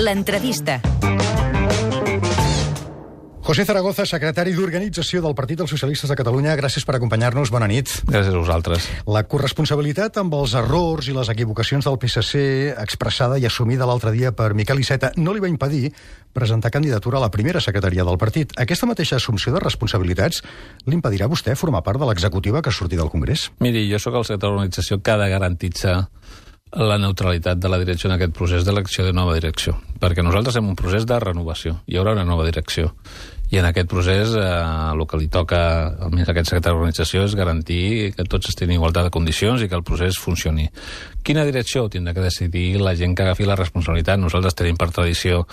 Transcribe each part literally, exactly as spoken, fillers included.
L'entrevista. José Zaragoza, secretari d'Organització del Partit dels Socialistes de Catalunya, gràcies per acompanyar-nos. Bona nit. Gràcies a vosaltres. La corresponsabilitat amb els errors i les equivocacions del P S C, expressada i assumida l'altre dia per Miquel Iceta, no li va impedir presentar candidatura a la primera secretaria del partit. Aquesta mateixa assumpció de responsabilitats l'impedirà a vostè formar part de l'executiva que surti del Congrés? Miri, jo sóc el secretari d'Organització que ha de garantitzar la neutralitat de la direcció en aquest procés d'elecció de nova direcció, perquè nosaltres hem un procés de renovació, hi haurà una nova direcció, i en aquest procés eh, el que li toca almenys a aquest secretari d'organització és garantir que tots estiguin en igualtat de condicions i que el procés funcioni. Quina direcció tindrà que decidir la gent que agafi la responsabilitat? Nosaltres tenim per tradició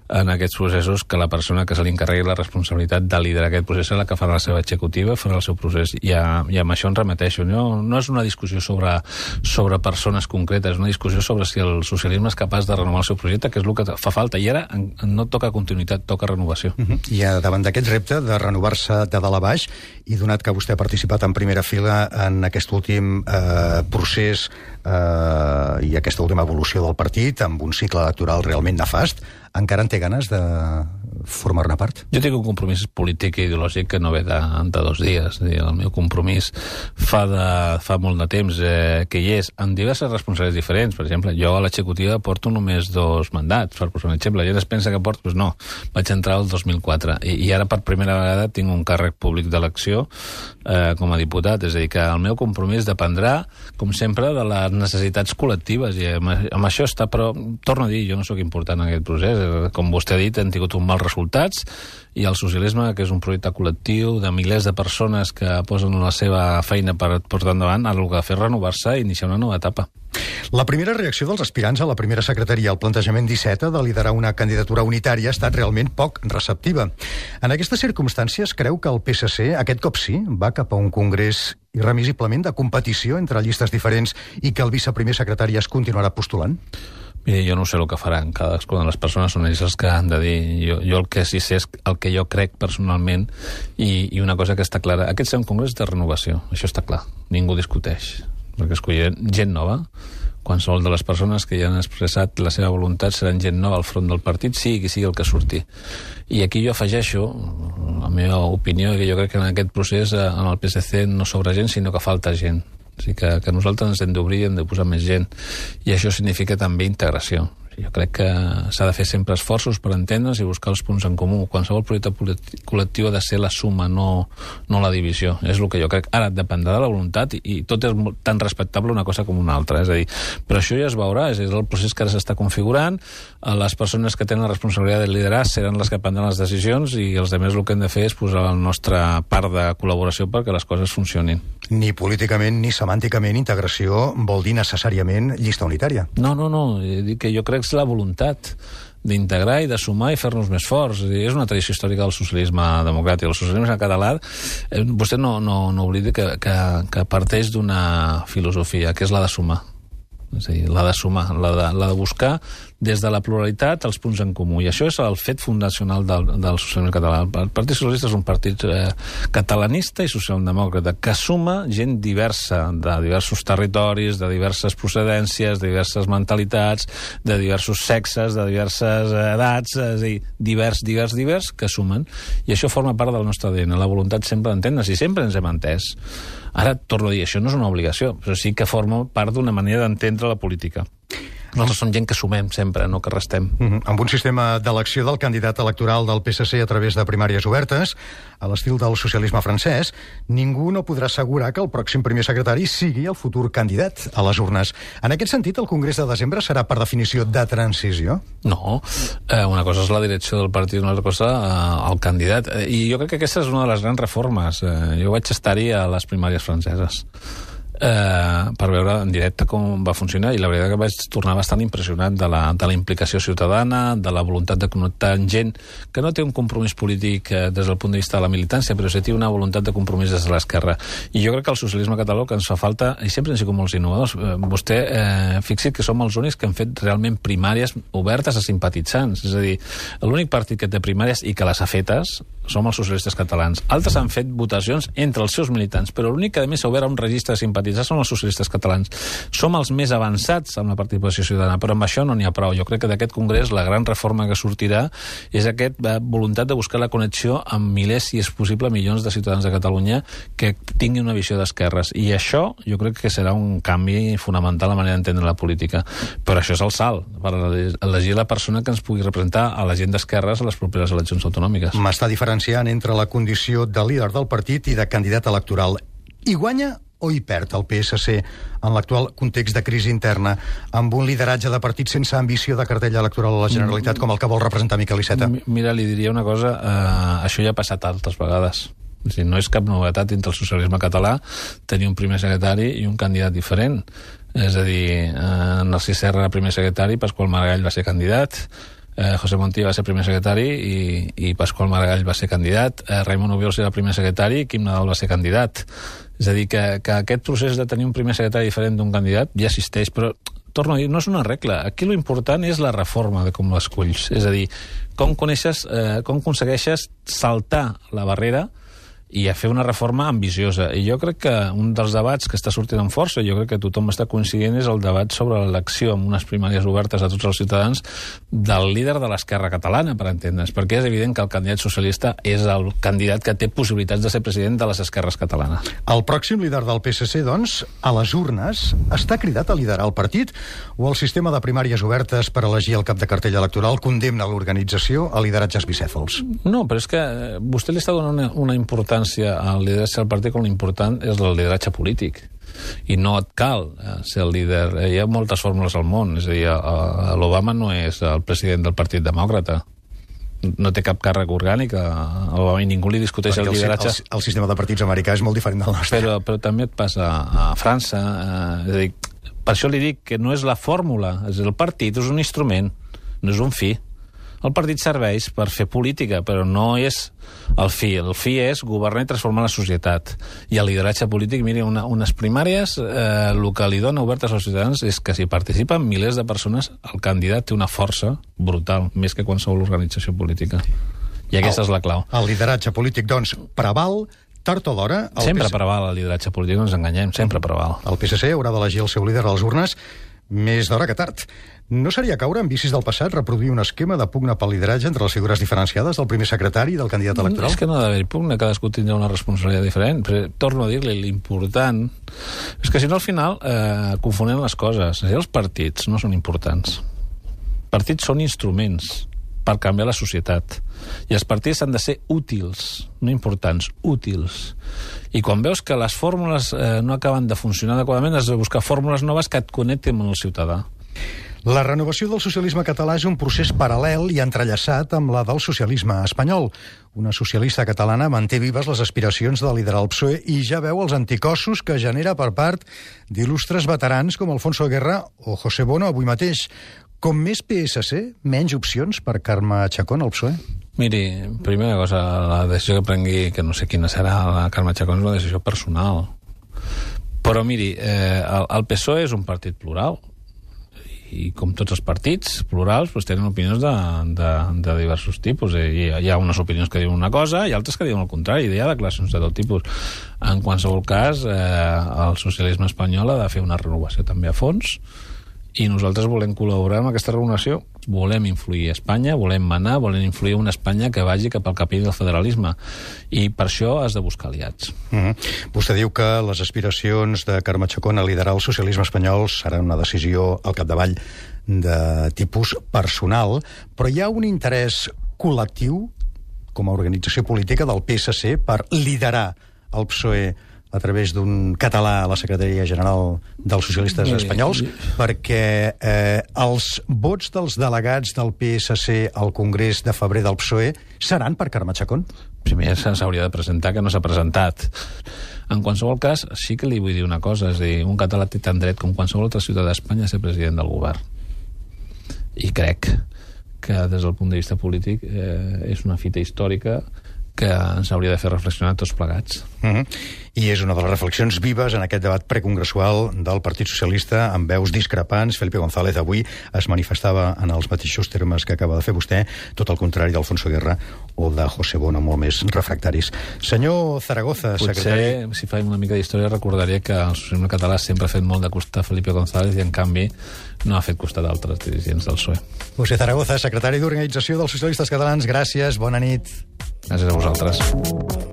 en aquests processos que la persona que se li encarregui la responsabilitat de liderar aquest procés és la que farà la seva executiva, farà el seu procés, i, a, i amb això ens remeteixo. No, no és una discussió sobre, sobre persones concretes, és una discussió sobre si el socialisme és capaç de renovar el seu projecte, que és el que fa falta, i ara no toca continuïtat, toca renovació. Uh-huh. I a davant d'aquest repte de renovar-se de dalt a baix, i donat que vostè ha participat en primera fila en aquest últim eh, procés eh, i aquesta última evolució del partit, amb un cicle electoral realment nefast, encara en té ganes de formar-ne part? Jo tinc un compromís polític i ideològic que no ve de, de dos dies. El meu compromís fa, de, fa molt de temps eh, que hi és, amb diverses responsabilitats diferents. Per exemple, jo a l'executiva porto només dos mandats, per posar un exemple. La gent es pensa que porto, doncs no, vaig entrar el dos mil quatre, i, i ara per primera vegada tinc un càrrec públic d'elecció eh, com a diputat. És a dir, que el meu compromís dependrà, com sempre, de les necessitats col·lectives, i amb, amb això està, però torno a dir, jo no sóc important en aquest procés. Com vostè ha dit, hem tingut un mal resultats, i el socialisme, que és un projecte col·lectiu de milers de persones que posen la seva feina per portar endavant, el que ha de fer renovar-se i iniciar una nova etapa. La primera reacció dels aspirants a la primera secretaria al plantejament d'Iceta de liderar una candidatura unitària ha estat realment poc receptiva. En aquestes circumstàncies, creu que el P S C, aquest cop sí, va cap a un congrés irremisiblement de competició entre llistes diferents i que el viceprimer secretari es continuarà postulant? Mira, jo no sé el que faran, cadascuna de les persones són ells els que han de dir. Jo, jo el que sí sé és el que jo crec personalment, i, i una cosa que està clara, aquest serà un congrés de renovació, això està clar, ningú discuteix, perquè escollirem gent nova. Qualsevol de les persones que ja han expressat la seva voluntat seran gent nova al front del partit, sigui qui sigui el que surti. I aquí jo afegeixo la meva opinió, que jo crec que en aquest procés en el P S C no sobra gent, sinó que falta gent. O sigui que, que nosaltres ens hem d'obrir i hem de posar més gent, i això significa també integració. Jo crec que s'ha de fer sempre esforços per entendre's i buscar els punts en comú. Qualsevol projecte col·lectiu ha de ser la suma, no, no la divisió. És el que jo crec. Ara dependrà de la voluntat, i, i tot és tan respectable una cosa com una altra. És a dir, però això ja es veurà, és el procés que ara s'està configurant. Les persones que tenen la responsabilitat de liderar seran les que prendran les decisions, i els altres el que hem de fer és posar la nostra part de col·laboració perquè les coses funcionin. Ni políticament ni semànticament integració vol dir necessàriament llista unitària. No, no, no. Dic que jo crec que és la voluntat d'integrar i de sumar i fer-nos més forts. És una tradició històrica del socialisme democràtic. El socialisme català, eh, vostè no, no, no oblidi que, que, que parteix d'una filosofia, que és la de sumar. És a dir, la de sumar, la de, la de buscar des de la pluralitat els punts en comú, i això és el fet fundacional del, del socialisme català. El Partit Socialista és un partit eh, catalanista i socialdemòcrata que suma gent diversa, de diversos territoris, de diverses procedències, de diverses mentalitats, de diversos sexes, de diverses edats, és a dir, divers, divers, divers, que sumen, i això forma part del nostre A D N, la voluntat sempre d'entendre's, i sempre ens hem entès. Ara, torno a dir, això no és una obligació, però sí que forma part d'una manera d'entendre la política. Nosaltres som gent que sumem sempre, no que restem. Uh-huh. Amb un sistema d'elecció del candidat electoral del P S C a través de primàries obertes, a l'estil del socialisme francès, ningú no podrà assegurar que el pròxim primer secretari sigui el futur candidat a les urnes. En aquest sentit, el Congrés de desembre serà, per definició, de transició? No. Eh, una cosa és la direcció del partit, una altra cosa eh, el candidat. Eh, I jo crec que aquesta és una de les grans reformes. Eh, jo vaig estar-hi a les primàries franceses. Eh, per veure en directe com va funcionar, i la veritat que vaig tornar bastant impressionat de la, de la implicació ciutadana, de la voluntat de connectar amb gent que no té un compromís polític eh, des del punt de vista de la militància, però sí té una voluntat de compromís des de l'esquerra. I jo crec que el socialisme català que ens fa falta, i sempre han sigut molts innovadors, eh, vostè eh, fixi que som els únics que han fet realment primàries obertes a simpatitzants, és a dir, l'únic partit que té primàries i que les ha fetes som els socialistes catalans. Altres han fet votacions entre els seus militants, però l'únic que a més s'ha obert a un registre de simpatitzants independentitzar són els socialistes catalans. Som els més avançats amb la participació ciutadana, però amb això no n'hi ha prou. Jo crec que d'aquest congrés la gran reforma que sortirà és aquesta voluntat de buscar la connexió amb milers, si és possible, milions de ciutadans de Catalunya que tinguin una visió d'esquerres. I això jo crec que serà un canvi fonamental a la manera d'entendre la política. Però això és el salt, per elegir la persona que ens pugui representar a la gent d'esquerres a les properes eleccions autonòmiques. M'està diferenciant entre la condició de líder del partit i de candidat electoral. Hi guanya o hi perd el P S C en l'actual context de crisi interna amb un lideratge de partit sense ambició de cartell electoral a la Generalitat com el que vol representar Miquel Iceta? Mira, li diria una cosa, eh, això ja ha passat altres vegades. O sigui, no és cap novetat entre el socialisme català tenir un primer secretari i un candidat diferent. És a dir, eh, Narcís Serra era primer secretari, Pasqual Maragall va ser candidat, eh, José Montilla va ser primer secretari i, i Pasqual Maragall va ser candidat, eh, Raimon Obiols era primer secretari i Quim Nadal va ser candidat. És a dir, que, que aquest procés de tenir un primer secretari diferent d'un candidat ja existeix, però torno a dir, no és una regla. Aquí lo important és la reforma de com l'esculls. És a dir, com coneixes, eh, com aconsegueixes saltar la barrera i a fer una reforma ambiciosa. I jo crec que un dels debats que està sortint amb força, jo crec que tothom està coincidint, és el debat sobre l'elecció amb unes primàries obertes a tots els ciutadans del líder de l'esquerra catalana, per entendre's, perquè és evident que el candidat socialista és el candidat que té possibilitats de ser president de les esquerres catalanes. El pròxim líder del P S C, doncs, a les urnes, està cridat a liderar el partit o el sistema de primàries obertes per elegir el cap de cartell electoral condemna l'organització a lideratges bicèfals? No, però és que vostè li està donant una, una importància al lideratge del partit com l'important és el lideratge polític. I no et cal ser el líder. Hi ha moltes fórmules al món. És a dir, l'Obama no és el president del Partit Demòcrata. No té cap càrrec orgànic a Obama i ningú li discuteix Perquè el lideratge. El, el sistema de partits americà és molt diferent del nostre. Però, però també et passa a França. Eh, és a dir, per això li dic que no és la fórmula. És el partit és un instrument, no és un fi. El partit serveix per fer política, però no és el fi. El fi és governar i transformar la societat. I el lideratge polític, miri, una, unes primàries, eh, el que li dona obertes als ciutadans és que si participen milers de persones, el candidat té una força brutal, més que qualsevol organització política. I aquesta el, és la clau. El lideratge polític, doncs, preval, tard o d'hora... Sempre P S... preval el lideratge polític, no ens enganyem, sempre preval. El P S C haurà d'elegir el seu líder a les urnes més d'hora que tard. No seria caure en vicis del passat reproduir un esquema de pugna pel lideratge entre les figures diferenciades del primer secretari i del candidat electoral? És que no ha d'haver pugna, cadascú tindrà una responsabilitat diferent, però torno a dir-li, l'important és que si no al final eh, confonem les coses. Els partits no són importants. Partits són instruments per canviar la societat. I els partits han de ser útils, no importants, útils. I quan veus que les fórmules eh, no acaben de funcionar adequadament, has de buscar fórmules noves que et connectin amb el ciutadà. La renovació del socialisme català és un procés paral·lel i entrellaçat amb la del socialisme espanyol. Una socialista catalana manté vives les aspiracions de liderar el P S O E i ja veu els anticossos que genera per part d'il·lustres veterans com Alfonso Guerra o José Bono avui mateix. Com més P S C, menys opcions per Carme Chacón al P S O E? Miri, primera cosa, la decisió que prengui, que no sé quina serà, la Carme Chacón és una decisió personal. Però miri, eh, el, el P S O E és un partit plural. I com tots els partits plurals doncs tenen opinions de, de, de diversos tipus. I hi ha unes opinions que diuen una cosa i altres que diuen el contrari. Hi ha declaracions de tot tipus. En qualsevol cas, eh, el socialisme espanyol ha de fer una renovació també a fons i nosaltres volem col·laborar amb aquesta renovació. Volem influir a Espanya, volem manar, volem influir una Espanya que vagi cap al camí del federalisme. I per això has de buscar aliats. Mm-hmm. Vostè diu que les aspiracions de Carme Chacón a liderar el socialisme espanyol serà una decisió al capdavall de tipus personal, però hi ha un interès col·lectiu com a organització política del P S C per liderar el P S O E a través d'un català a la Secretaria General dels Socialistes Espanyols, perquè eh, els vots dels delegats del P S C al Congrés de febrer del P S O E seran per Carme Chacón? Primer s'hauria de presentar, que no s'ha presentat. En qualsevol cas, sí que li vull dir una cosa, és a dir, un català té tant dret com qualsevol altre ciutadà d'Espanya a ser president del govern. I crec que des del punt de vista polític eh, és una fita històrica que ens hauria de fer reflexionar tots plegats. Uh-huh. I és una de les reflexions vives en aquest debat precongressual del Partit Socialista, amb veus discrepants. Felipe González avui es manifestava en els mateixos termes que acaba de fer vostè, tot el contrari d'Alfonso Guerra o de José Bono, molt més refractaris. Senyor Zaragoza, Potser, secretari... si faig una mica d'història, recordaria que el socialisme català sempre ha fet molt de costat a Felipe González i, en canvi, no ha fet costat d'altres dirigents del P S O E. José Zaragoza, secretari d'Organització dels Socialistes Catalans, gràcies, bona nit. Gràcies a vosaltres.